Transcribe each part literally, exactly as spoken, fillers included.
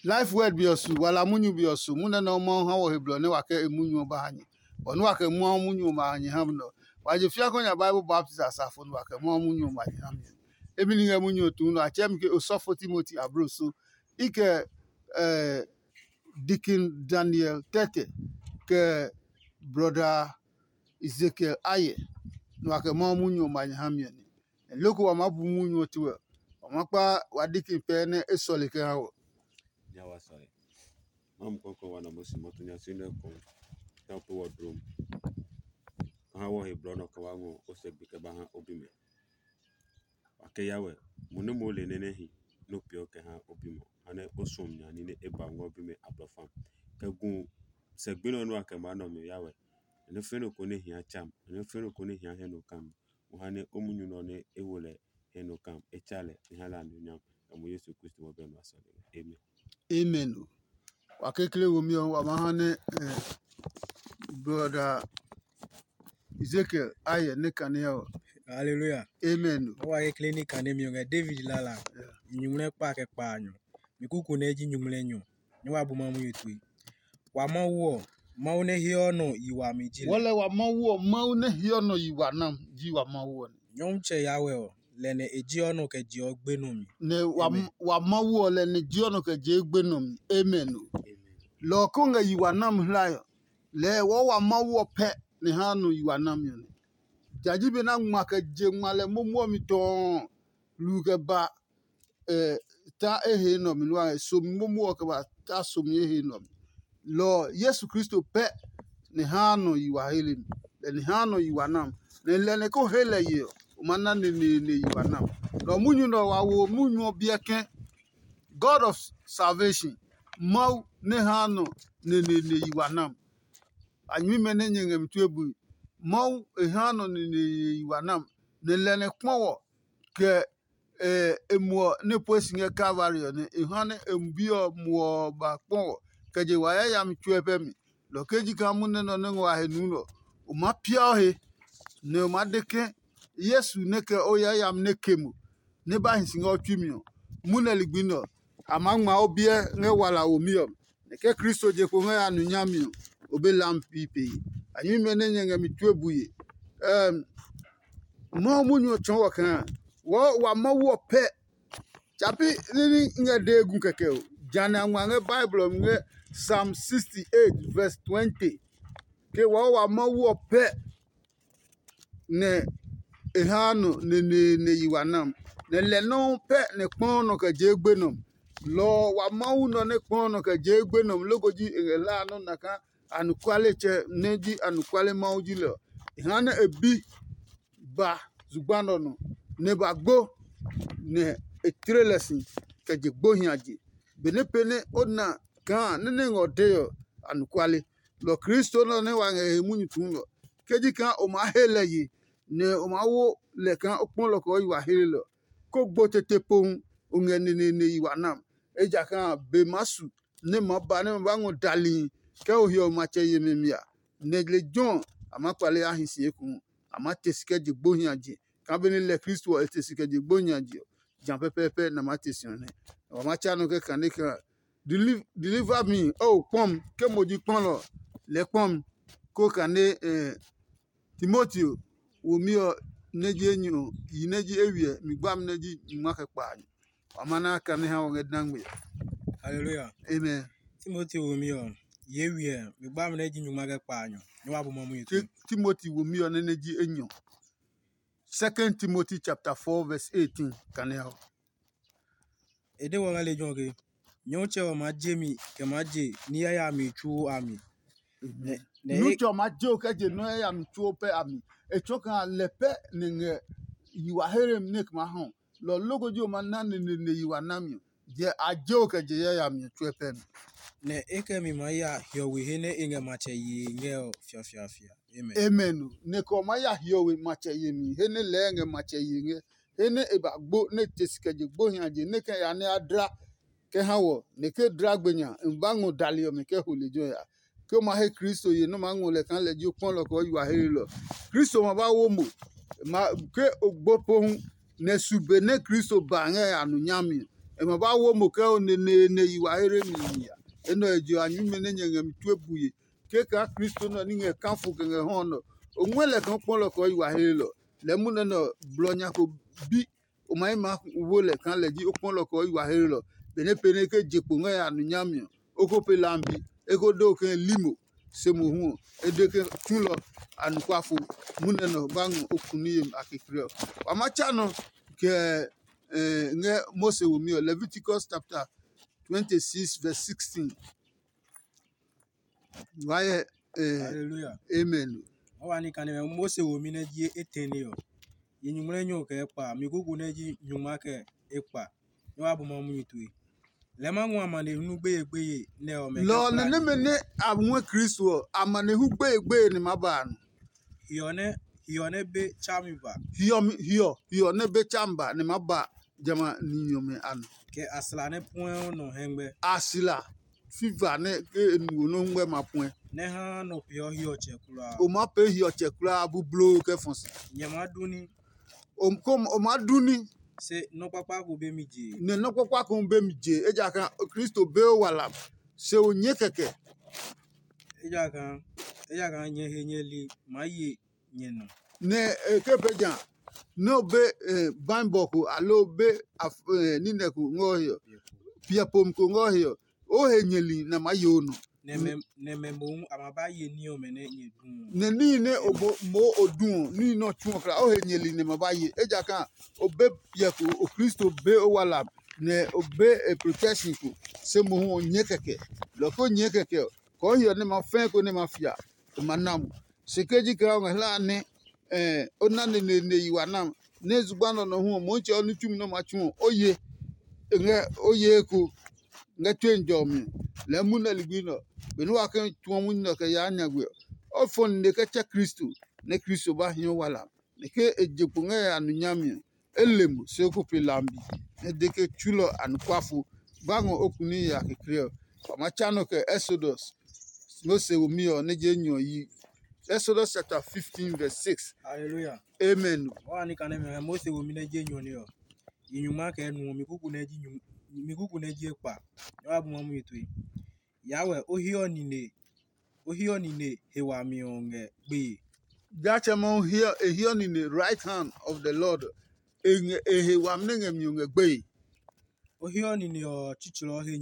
Life Word be ɔ su, wala munyu be ɔ su, munyu nɛ Mawu ha wɔ he blɔ nɛ wa kɛ e munyu ɔ ba ha nyɛ. Bɔ nɛ wa kɛ Mawu munyu ɔ ma ha nyɛ ha nɛ ɔ, wa je fiakɔ nya Bible baptist asafo nɛ wa kɛ Mawu munyu ɔ ma nyɛ ha mi. Emi ni ngɛ munyu ɔ tuu nɔ, a tsɛɛ mi ke osɔfo Timoti abloso. I kɛ eh, Deacon Daniel Tɛtɛ, kɛ Brother Ezekiel Aye, nɛ wa kɛ Mawu munyu ɔ ma nyɛ ha mi ɔ nɛ. Loko wa maa bu munyu ɔ tue ɔ, wa maa kpa wa deacon pɛɛ nɛ e sɔle kɛ ha wɔ. Nya wa sɔe. Mamu kɔkɔ wa na mo si mo tunya si nɛ ko ta pe wɔ drom. Ka ha wɔ he blɔ nɔ ka wa ngo o se gbi kɛ ba ha o bi mɛ. Wa kɛ ya wɛ, mo nɛ mo le nɛ nɛ hi nɛ o peeɔ kɛ ha o bi mɔ, ha nɛ o suɔ mi nya ní nɛ e ba ngɔ bi mɛ ablɔfam. Kɛ gu sɛ gbi nɔ nua kɛ maa nɔ mi ya wɛ. Nɔ fɛ̃ nɔ ko nɛ hia tsa mi, nɔ fɛ̃ nɔ ko nɛ hia hɛ nɔ ka mi. Mo ha nɛ o munyu nɔ nɛ e wo lɛ hɛ nɔ ka mi, e tsa lɛ, e ha lɛ anunyam. Kɛ mo Yesu Kristo wɔ bɛ nɔ asɔle. Amen. Amen o. Wa kekle womi ɔ, wa ma ha nɛ eh, brother Ezekiel ayɛ ne kane ɔ. Hallelujah. Amen o. Wa kekle ni kane mi ɔ ngɛ David lala. Yeah. Nyuŋmlɛ kpa kɛ kpa nyɔ. Mi kuku nɛ ji nyuŋmlɛ nyɔ. Ni wa bu ma mu yetue. Wa Mawu ɔ, Mawu nɛ heɔ nɔ yi wami ji lɛ. Wɔlɛ wa Mawu ɔ, Mawu nɛ heɔ nɔ yi wa nam ji wa Mawu ɔ. Nyɔmtsɛ Yahweh ɔ, lɛ nɛ e jeɔ nɔ kɛ jeɔ gbe nɔ mi. Nɛ wa, Amen. Wa Mawu ɔ lɛ nɛ jeɔ nɔ kɛ jeɔ gbe nɔ mi. Amen o. Lɔ ɔ ko ngɛ yi wa nam hlae ɔ, lɛɛ wɔɔ wa Mawu ɔ pɛ nɛ haa nɔ yi wa nami ɔ nɛ. Jaji be na ngma kɛ je ngma lɛ momo ɔ mi tɔɔ lu kɛ ba ta e he nɔ mi nua somi momo ɔ kɛ ba ta somi e he nɔ mi. Lɔ ɔ, Yesu Kristo pɛ nɛ haa nɔ yi wa hele mi, lɛ nɛ haa nɔ yi wa nam, nɛ lɛ nɛ ko he lɛ ye ɔ, o ma na neneene yi wa nam. Lɔ ɔ, munyu nɛ ɔ wa wo munyu ɔ biɛ ke God of salvation, Mawu nɛ haa nɔ neneene yi wa nam. A nyɛmimɛ nɛ nyɛ ngɛ mi tue bui, Mawu e haa nɔ neneene yi wa nam, nɛ lɛ nɛ kpɔ wɔ kɛ e muɔ nɛ e pue si ngɛ Kalvari ɔ nɛ e ha nɛ e bi ɔ muɔ ɔ ba kpɔ wɔ kɛ je wa yayami tsuɛ pɛ mi. Lɔ ke ji kaa munɛ nɔ nɛ ngɔ a he nuu nɛ ɔ, o maa pia o he, nɛ o maa de ke Yesu nɛ kɛ o yayami nɛ ke mo, nɛ ba hi si ngɛ o tsui mi ɔ, munɛ ligbi nɛ ɔ, a maa ngma o biɛ ngɛ wala womi ɔ mi. Nɛ ke Kristo je kpo ngɛ ya nu nyami ɔ, o be lam pi pee. A nyɛmimɛ nɛ nyɛ ngɛ mi tue bue. Mawu munyu ɔ tsɔɔ wɔ kaa wɔɔ wa Mawu ɔ pɛ. Tsapi ní ní ngɛ dee gu kɛkɛ o. Jane a ngma ngɛ Bible ɔ mi ngɛ Psalm sixty-eight verse twenty. Ke wɔɔ wa Mawu ɔ pɛ nɛ e haa nɔ neneene yi wa nam, nɛ lɛ nɔuu pɛ nɛ kpɔɔ nɔ kɛ jee gbe nɔ. Lɔ ɔ wa Mawu nɔ nɛ kpɔɔ nɔ kɛ jee gbe nɔ loko ji e ngɛ hlaa nɔ́ na kaa anɔkualetsɛ nɛ ji anɔkuale Mawu ji lɛ ɔ. E ha nɛ e bi ba zugba nɛ ɔ nɔ, nɛ e ba gbo, nɛ e tle lɛ si kɛ je gbo hiaje. Benɛ pee nɛ o na kaa nɛ́ nɛ ngɛ ɔ dee ɔ, anɔkuale. Lɔ Kristo nɛ ɔ nɛ wa ngɛ e he munyu tuu nɛ ɔ, ke ji kaa o maa he lɛ ye, nɛ o maa wo lɛ kaa o kpɔ lɔ kɛ o yi wa hlelelɔ, kó gbo tete pohu o ngɛ neneene yi wa nam. Ejakaa be maa su nɛ ma ba nɛ ma ba ngɔ dalihi kɛ o hiɔwe matsɛ yemi mi a, nɛ lejɛ ɔ a maa kpale a hi si ekohu. A maa te si kɛ je gbo hiaje kaa benɛ lɛ Kristo ɔ e te si kɛ je gbo hiaje ɔ, ja pɛpɛɛpɛ nɛ a maa te si ɔ nɛ. Wa maa tsa nɔ kɛ kane kaa, deliver me, o kpɔ mi, ke mo ji kpɔlɔ, lɛ kpɔ mi, ko kane Timoteo womi ɔ nɛ ji enyɔ, yi nɛ ji eywiɛ, mi gbami nɛ ji nyuma kɛ kpaanyɔ. Wa ma na kane ha wɔ ngɛ dangme. Hallelujah. Amen. Timoteo womi ɔ, yi eywiɛ, mi gbami nɛ ji nyuma kɛ kpaanyɔ. Nyɛ wa bu ma mu yi. Timoteo womi ɔ nɛ nɛ ji enyɔ. Second Timothy chapter four verse eighteen kane ha wɔ. E de wɔ ngɛ lejɛ ɔ ke, Nyɔmtsɛ ɔ maa je mi kɛ maa je ní yayami tsuo a mi. Nɛ Nyɔmtsɛ ɔ maa je o kɛ je nɔ́ yayami tsuo pɛ a mi. E tsɔɔ kaa lɛ pɛ nɛ ngɛ yi wa here mi nɛ kɛ maa hɔ. Lɔ ɔ loko ji o ma na neneene yi wa nami ɔ, jɛ a je o kɛ je yayami ɔ tsuɛ pɛ mi. Nɛ e kɛ mi maa ya hiɔwe he nɛ e ngɛ matsɛ yee ngɛ ɔ fiafiafia. Amen. Amen. Nɛ kɛ o maa ya hiɔwe matsɛ yemi he nɛ lɛɛ ngɛ matsɛ yee ngɛ, he nɛ e ba gbo nɛ e te si kɛ je gbo hiaje nɛ kɛ ya nɛ a dla kɛ ha wɔ, nɛ ke dla gbe nya, n ba ngɔ dali ɔmɛ kɛ ho lejɛ ɔ ya. Ke o ma he Kristo ye nɛ o maa ngɔ lɛ kaa lɛ ji o kpɔlɔ kɛ o yi wa helelɔ. Kristo ma ba wo mo, ma ke o gbo pohu, nɛ su be nɛ Kristo ba ngɛ a nu nyami ɔ, E ma ba wo mo kɛ o neneene yi wa here mi mi a. Enɛ ɔ je a nyume nɛ nyɛ ngɛ mi tue bue. Keka Kristo nɛ ɔ ní ngɛ kafo kɛ ngɛ hɔ nɔ. O ngɔɛ lɛ kaa o kpɔ lɛ kɔɔ yi wa here lɔ. Lɛɛ munɛ nɛ ɔ, blɔ nya ko bi o ma yi maa wo lɛ kaa lɛ ji o kpɔ lɛ kɔɔ yi wa here lɔ. Benɛ pee nɛ e ke je kpo ngɛ ya nu nyami ɔ, o ko pe lambi, e ko de o ke limo. Se mohu ɔ, e de ke tsulɔ anɔkuafo. Munɛ nɛ ɔ ba ngɔ o kuni yemi a kekle ɔ. Wa ma tsa nɔ kɛ ngɛ Mose womi ɔ, Leviticus chapter twenty-six verse sixteen. Wa yɛ eh, Hallelujah. Amen. Wa wa ni kane mɛ Mose wo mi nɛ ji etɛne ɔ. Ye nyuŋmlɛ nyɔ kɛ kpa, mi kuku nɛ ji nyuŋma kɛ ekpa. Nyɛ wa bu ma munyu tue. Lɛ ma ngua mane nu gbeye gbeye nɛ ɔ mɛ. Lɔ nɛ nɛmɛ nɛ a ngɔɛ Kristo ɔ, amanehlu gbeye gbeye nɛ ma ba a nɔ. Hiɔ nɛ hiɔ nɛ be tsa mi ba. Hiɔ hiɔ hiɔ nɛ be tsa mi ba nɛ ma ba jamɛ a ni nyɔmɛ a nɔ. Kɛ a sla nɛ puɛ ɔ nɔ hɛngmɛ. A sla fiva nɛ ke e nuwo nɔ ngmɛ ma puɛ. Nɛ ha nɔ peeɔ hiɔtsɛ kulaa. O ma pee hiɔtsɛ kulaa bubloo kɛ fɔ si. Nyɛ ma du ní. O ko o ma du ní. Se nɔ́ kpakpa ko be mi je. Nɛ nɔ́ kpakpa ko be mi je ejakaa Kristo be o wala se o nyɛ kɛkɛ. Ejakaa ejakaa nyɛ he nyɛ li maa ye nyɛ nɔ. Nɛ e ke be ja nɛ o be baibɔ ko aloo be ninɛ ko ngɔ he ɔ, piɛ pom ko ngɔ he ɔ, o he nyɛli nɛ a maa ye o nɔ. Nɛmɛ mohu a ma ba ye ní ɔmɛ nɛ nyɛ du ɔ. Nɛ níhi nɛ o mo o du ɔ, níhi nɛ ɔ tsu ɔ kla o he nyɛli nɛ ma ba ye. Ejakaa o be piɛ ko o Kristo be o wala nɛ o be e protection ko se mohu o nyɛ kɛkɛ. Lɔ ko nyɛ kɛkɛ ɔ, kɔɔ hiɔ nɛ ma fɛɛ ko nɛ ma fia, e ma na mo. Se ke ji kaa o ngɛ hla nɛ o na neneene yi wa nam nɛ zugba nɔ nɔ hu ɔ, Mɔmitsɛ ɔ ní tsumi nɛ o ma tsu ɔ, o ye e ngɛ o ye eko ngɛ tue jɔ mi. Lɛɛ munɛ ligbi nɛ ɔ, benɛ wa ke tsuɔ munyu nɛ ɔ kɛ yaa nyagbe ɔ, o fɔ nine kɛ tsɛ Kristo, nɛ Kristo ba hiɔ wala. Nɛ ke e je kpo ngɛ ya nu nyami ɔ, e le mo se o ko pe lambi, nɛ de ke tsulɔ anɔkuafo ba ngɔ o kuni ya kekle ɔ. Wa ma tsa nɔ kɛ Exodus Mose womi ɔ nɛ je nyɔ yi. Exodus chapter fifteen verse six. Hallelujah. Amen. Wa ni kane mɛ Mose womi nɛ je nyɔ ne ɔ. Yi nyuma kɛ nu ɔ mi kuku nɛ ji nyum mi kuku nɛ ji ekpa. Nyɛ wa bu ma mu yi tue. Yawɛ o hiɔ nine o hiɔ nine he wami ɔ ngɛ gbeye. Jatsɛmɛ ɔ hiɔ e hiɔ nine right hand of the Lord. E ngɛ e he wami nɛ ngɛ mi ɔ ngɛ gbeye. O hiɔ nine ɔ tsitsɛlɔ he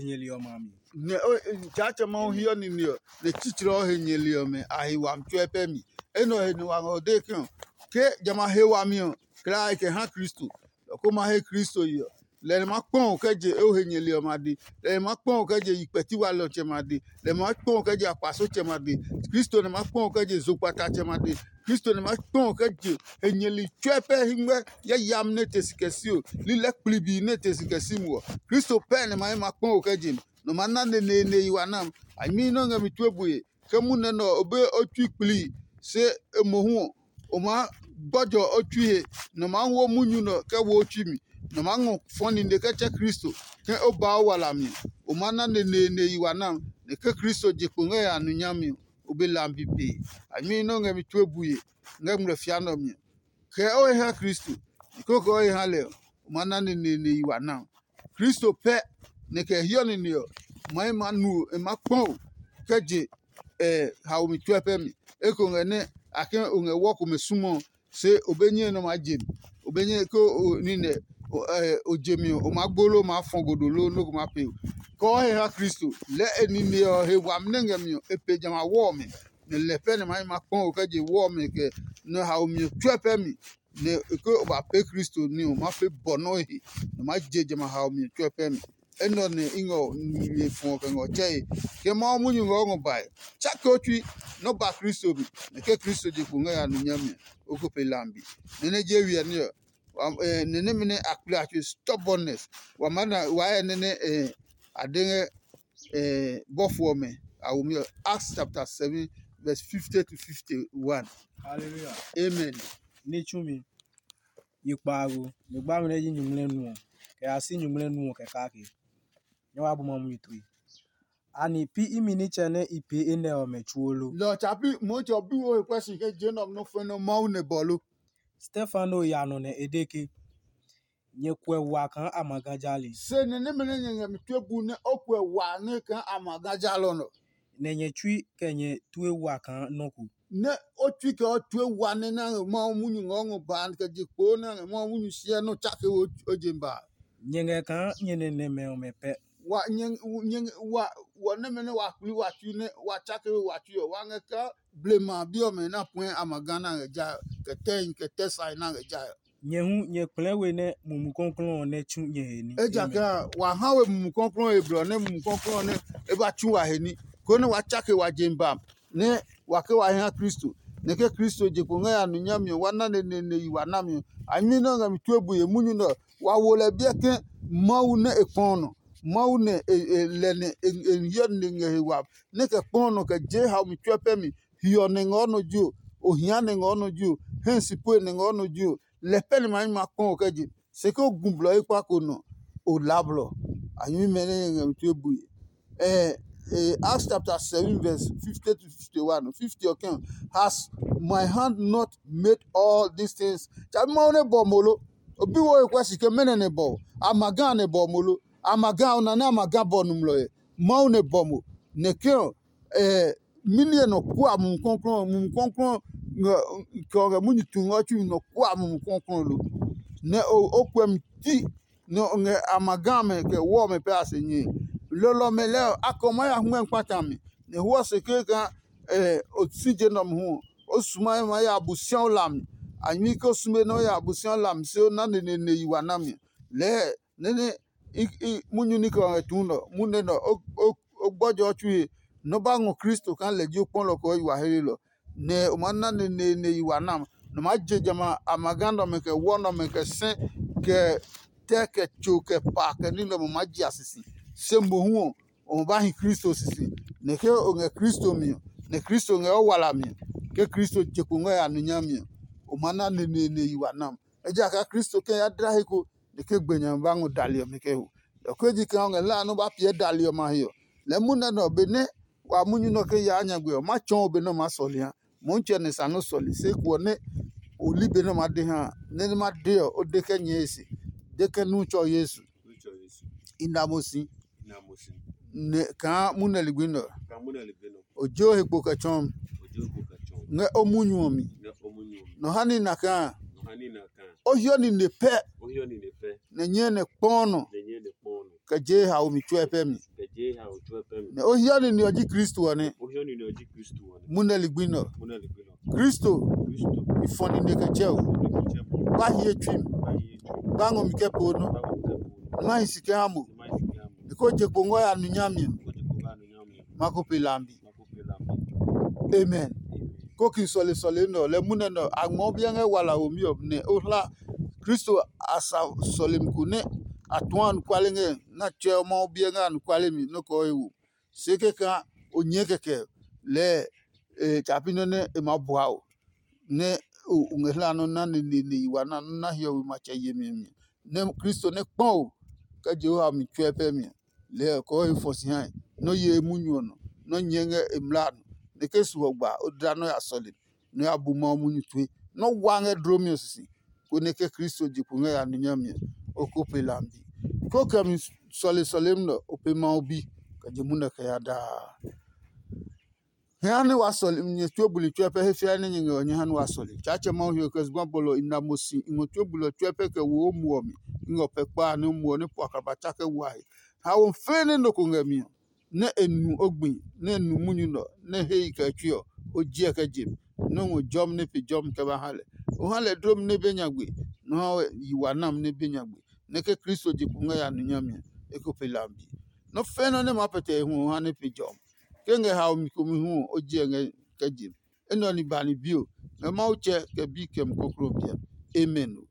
nyɛli ɔ ma mi. Nɛ o Jatsɛmɛ ɔ hiɔ nine ɔ nɛ tsitsɛlɔ he nyɛli ɔmɛ a he wami tsuɛ pɛ mi. Enɛ ɔ he nɛ wa ngɔ de ke ɔ ke jamɛ a he wami ɔ klaa e kɛ ha Kristo. Lɔ ko ma he Kristo yi ɔ, lɛ nɛ ma kpɔ o kɛ je o he nyɛli ɔmɛ a de, lɛ nɛ ma kpɔ o kɛ je yi kpɛti walɛ ɔtsɛmɛ a de, lɛ nɛ ma kpɔ o kɛ je akpasotsɛmɛ a de, Kristo nɛ ma kpɔ o kɛ je zokpatatsɛmɛ a de, Kristo nɛ ma kpɔ o kɛ je he nyɛli tsuɛ pɛ hingmɛ yayami nɛ te si kɛ si o, lilɛ kplibi nɛ te si kɛ si muɔ. Kristo pɛ nɛ ma he ma kpɔ o kɛ je mi, nɔ ma na neneene yi wa nam. A mi nɔ ngɛ mi tue bue. Ke munɛ nɛ ɔ, o be o tsui kpli, se e mohu ɔ, o maa gbɔjɔ o tsui he, nɛ o maa wo munyu nɛ ɔ kɛ wo o tsui mi, nɛ o maa ngɔ fɔ nine kɛ tsɛ Kristo, ke o ba o wala mi ɔ, o maa na neneene yi wa nam, nɛ ke Kristo je kpo ngɛ ya nu nyami ɔ, o be lambi pee. A nyɛmi nɛ o ngɛ mi tue bue ngɛ ngmlɛ fia nɛ ɔ mi ɔ. Kɛ o he ha Kristo, nɛ koko o he ha lɛ ɔ, o maa na neneene yi wa nam. Kristo pɛ nɛ kɛ hiɔ nine ɔ, ma e ma nu e ma kpɔ o kɛ je haomi tsuɛ pɛ mi. Eko ngɛ nɛ a ke o ngɛ wɔ komɛ sumɔ ɔ, se o be nyɛe nɛ o maa je mi. O be nyɛe ke o nine o je mi ɔ, o maa gbo loo o maa fɔ godo loo nɔ́ ko maa pee o. Kɔɔ he ha Kristo, lɛɛ e nine ɔ he wami nɛ ngɛ mi ɔ, e pe jamɛ a wɔ ɔmɛ. Nɛ lɛ pɛ nɛ ma yi ma kpɔ o kɛ je wɔ ɔmɛ kɛ nɛ haomi ɔ tsuɛ pɛ mi. Nɛ ke o ba pee Kristo ní ɔ, ma fe bɔ nɔ́ he, nɛ ma je jamɛ a haomi ɔ tsuɛ pɛ mi. Enɛ ɔ nɛ i ngɛ o nue fɔ kɛ ngɛ o tsɛe. Ke Mawu munyu ngɛ o ngɔ bae, tsake o tsui nɛ o ba Kristo mi, nɛ ke Kristo je kpo ngɛ ya nu nyami ɔ, o ko pe lambi. Nɛ nɛ je wiɛ ní ɔ, nɛ nɛmɛ nɛ a kple a tsue stubbornness. Wa maa na wa hyɛ nɛ nɛ a de ngɛ bɔfo ɔmɛ a womi ɔ. Acts chapter seven verse fifty to fifty one. Hallelujah. Amen. Ní tsumi yi kpaago, mi gba mi nɛ ji nyuŋmlɛ nu ɔ, kɛ ya si nyuŋmlɛ nu ɔ kɛ kake. Nyɛ wa bu ma munyu tue. Ani pi imi nitsɛ nɛ i pee enɛ ɔmɛ tsuo lo? Lɔ tsa pi Mɔtsɛ ɔ bi wo he kuɛ si ke je nɛ ɔmɛ nɔ fɛnɛ Mawu nɛ bɔ lo? Stefano ya nɔ nɛ e de ke, Nyɛ kuɛ wa kaa a ma ga jali. Se nɛ nɛmɛ nɛ nyɛ ngɛ mi tue bu nɛ o kuɛ wa nɛ kaa a ma ga jalɔ nɔ. Nɛ nyɛ tsui kɛ nyɛ tue wa kaa nɔ́ ko. Nɛ o tsui kɛ o tue wa nɛ na ngɛ Mawu munyu ngɛ o ngɔ ba kɛ je kpo nɛ ngɛ Mawu munyu siɛ nɔ tsake o je ba. Nyɛ ngɛ kaa nyɛ nɛ nɛmɛ ɔmɛ pɛ. Wa nyɛ nyɛ wa wɔ nɛmɛ nɛ wa kpli wa tsui nɛ wa tsake we wa tsui ɔ wa ngɛ kaa blema bi ɔmɛ na puɛ a ma ga na ngɛ ja kɛ tɛhi kɛ tɛ sae na ngɛ ja. Nyɛ hu nyɛ kplɛɛ we nɛ Mumi Klɔuklɔu ɔ nɛ tsu nyɛ he ní. Ejakaa wa ha we Mumi Klɔuklɔu he blɔ nɛ Mumi Klɔuklɔu ɔ nɛ e ba tsu wa he ní, konɛ wa tsake wa je ba nɛ wa ke wa hi ha Kristo, nɛ ke Kristo je kpo ngɛ ya nu nyami ɔ wa na neneene yi wa nami ɔ. A nyui nɛ ɔ ngɛ mi tue bue munyu nɛ ɔ, wa wo lɛ biɛ ke Mawu nɛ e kpɔ nɔ. Mawu nɛ e e lɛ nɛ e e hyɛ nɛ ngɛ he wa nɛ kɛ kpɔ nɔ kɛ jee haomi tsuɛ pɛ mi. Hiɔ nɛ ngɔ nɔ ji o, ohia nɛ ngɔ nɔ ji o, hɛ sipue nɛ ngɔ nɔ ji o, lɛ pɛ nɛ ma nyɛ ma kpɔ o kɛ je. Se ke o gu blɔ ekpa ko nɔ, o la blɔ. A nyɛmimɛ nɛ ngɛ mi tue bue. Eh, eh, Acts chapter seven verse fifty to fifty-one, fifty ɔ kɛn, "Has my hand not made all these things?" Tsa bi Mawu nɛ bɔ mo lo. O bi wo he kuɛ si ke mɛnɔ nɛ bɔ o? A ma ga nɛ bɔ mo lo? A ma ga o na nɛ a ma ga bɔ nɔmlɔ ɛ? Mawu nɛ bɔ mo. Nɛ ke ɔ, eh, mini nɔ kua Mumi Klɔuklɔu, Mumi Klɔuklɔu kɛ ɔ kɛ munyu tu ngɔ tsui nɔ kua Mumi Klɔuklɔu lo. Nɛ o o kuɛ mi ti nɛ o ngɛ a ma ga mɛ kɛ wɔ mɛ pɛ a se nyɛe. Lɔlɔ mɛ lɛɛ ɔ, a kɛ o maa ya hmɛ kpata mi, nɛ hwɔ se kee kaa o si je nɔ hu ɔ, o su ma ma ya Abosiaɔ hlami. A nyui ke o sume nɛ o ya Abosiaɔ hlami se o na neneene yi wa nami. Lɛɛ nɛ nɛ i i munyu ní kɛ ɔ ngɛ tuu nɔ, munɛ nɔ o o o gbɔjɔ ɔ tsui he, nɔ ba ngɔ Kristo kaa lɛ ji o kpɔlɔ kɛ o yi wa helelɔ. Nɛ o maa na neneene yi wa nam, nɔ maa je jamɛ a ma ga nɛ ɔmɛ kɛ wɔ nɛ ɔmɛ kɛ sɛ kɛ tɛ kɛ tso kɛ pa kɛ ní nɛ ɔmɛ maa ji a sisi. Se mohu ɔ, o ma ba hi Kristo sisi. Nɛ ke o ngɛ Kristo mi ɔ, nɛ Kristo ngɛ o wala mi ɔ, ke Kristo je kpo ngɛ ya nu nyami ɔ, o ma na neneene yi wa nam. Ejakaa Kristo kɛ ya dla he ko, nɛ ke gbe nya ba ngɔ dali ɔmɛ kɛ ho. Lɔ ko ji kaa o ngɛ hlaa nɛ o ba piɛ dali ɔmɛ a he ɔ, lɛɛ munɛ nɛ ɔ benɛ wa munyu nɛ ɔ ke yaa nyagbe ɔ, ma tsɔɔ o be nɛ o maa sɔle ha. Mohu tsɛ nɛ sa nɛ o sɔle, se eko ɔ nɛ o li be nɛ o maa de ha a, nɛ nɛ ma de ɔ, o de kɛ nyɛɛ e se. De ke nu tsɔ Yesu. I na mo si. Nɛ kaa munɛ ligbi nɛ ɔ, o je o he kpo kɛ tsɔɔ ngɛ o munyu ɔ mi. Nɔ ha ní na kaa o hiɔ nine pɛ nɛ nyɛɛ nɛ kpɔɔ nɔ kɛ je haomi tsuɛ pɛ mi. Nɛ o hiɔ nine ɔ ji Kristo ɔ nɛ. Munɛ ligbi nɛ ɔ, Kristo i fɔ nine kɛ tsɛ o. Ba hiɛ tsui mi. Ba ngɔ mi kɛ poo nɔ. Ma hi si kɛ ha mo. Nɛ ko je kpo ngɔ ya nu nyami ɔ, ma ko pe lambi. Amen. Ko ki sɔle sɔle nɛ ɔ, lɛ munɛ nɛ ɔ, a ngmɔ biɛ ngɛ wala womi ɔ nɛ o hla Kristo a sa sɔlemi ko nɛ a tuɔ anɔkuale ngɛ na tsɛ ɔ Mawu biɛ ngɛ anɔkuale mi nɔ́ kɛ ɔ he wo. Se kɛkaa o nyɛɛ kɛkɛ lɛɛ e tsa pi nɔ́ nɛ e maa bua o, nɛ o ngɛ hla nɔ́ na neneene yi wa na nɔ́ na hiɔwe matsɛ yemi mi, nɛ Kristo nɛ kpɔ o kɛ Jehowa mi tsuɛ pɛ mi. Lɛɛ kɔɔ he fɔ si hae, nɔ́ ye munyu ɔ nɔ, nɔ́ nyɛɛ ngɛ e mlaa nɔ, nɛ ke su ɔ gba, o dla nɔ́ ya sɔle, nɔ́ ya bu Mawu munyu tue, nɔ́ wa ngɛ dlomi ɔ sisi, konɛ ke Kristo je kpo ngɛ ya nu nyami ɔ, o ko pe lambi. Ko kɛ mi sɔle sɔlemi nɛ o pe Mawu bi, kɛ je munɛ kɛ ya daa. Hɛ ha nɛ wa sɔle nyɛ tsuo buli tsuɛ pɛ he fiae nɛ nyɛ ngɛ ɔ nyɛ ha nɛ wa sɔle. Tsaatsɛ Mawu he ɔ kɛ zugba bɔlɔ i na mo si i ngɔ tsuo buli ɔ tsuɛ pɛ kɛ wo o muɔ mi. I ngɛ o pɛ kpa a nɛ o muɔ nɛ puakra ba tsa kɛ wa he. Haomi fɛɛ nɛ nɔ ko ngɛ mi ɔ, nɛ e nu o gbi, nɛ e nu munyu nɛ ɔ, nɛ e he i kɛ tsui ɔ, o jiɛ kɛ je mi, nɛ o ngɔ jɔmi nɛ pe jɔmi kɛ ba ha lɛ. O ha lɛ dlomi nɛ be nyagbe, nɛ o ha yi wa nami nɛ be nyagbe, nɛ ke Kristo je kpo ngɛ ya nu nyami ɔ, e ko pe lambi. Nɔ́ fɛ́ nɔ́ nɛ maa pɛtɛ e hu ɔ ha nɛ pe jɔmi. Ke ngɛ haomi komi hu ɔ, o jiɛ ngɛ kɛ je mi. Enɛ ɔ ni ba ni bio, ngɛ Mawu tsɛ kɛ bi kɛ mi koklo biɛ. Amen o.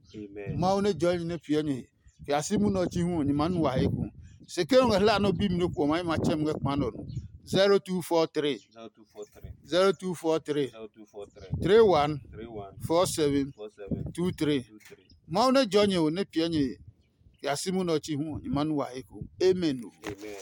Mawu nɛ jɔɔli nɛ piɛ nyɛ he, kɛ ya si munɛ ɔ tsi hu ɔ, nyɛ maa nu wa he eko. Se ke o ngɛ hla nɛ o bi mi nɔ ko ɔ, ma yi ma tsɛ mi ngɛ kpa nɛ ɔ nɔ. zero two four three, zero two four three, zero two four three, zero two four three, three one, three one, four seven, four seven, two three, two three. Mawu nɛ jɔɔ nyɛ ho nɛ piɛ nyɛ he, kɛ ya si munɛ ɔ tsi hu ɔ, nyɛ maa nu wa he eko. Amen o. Amen.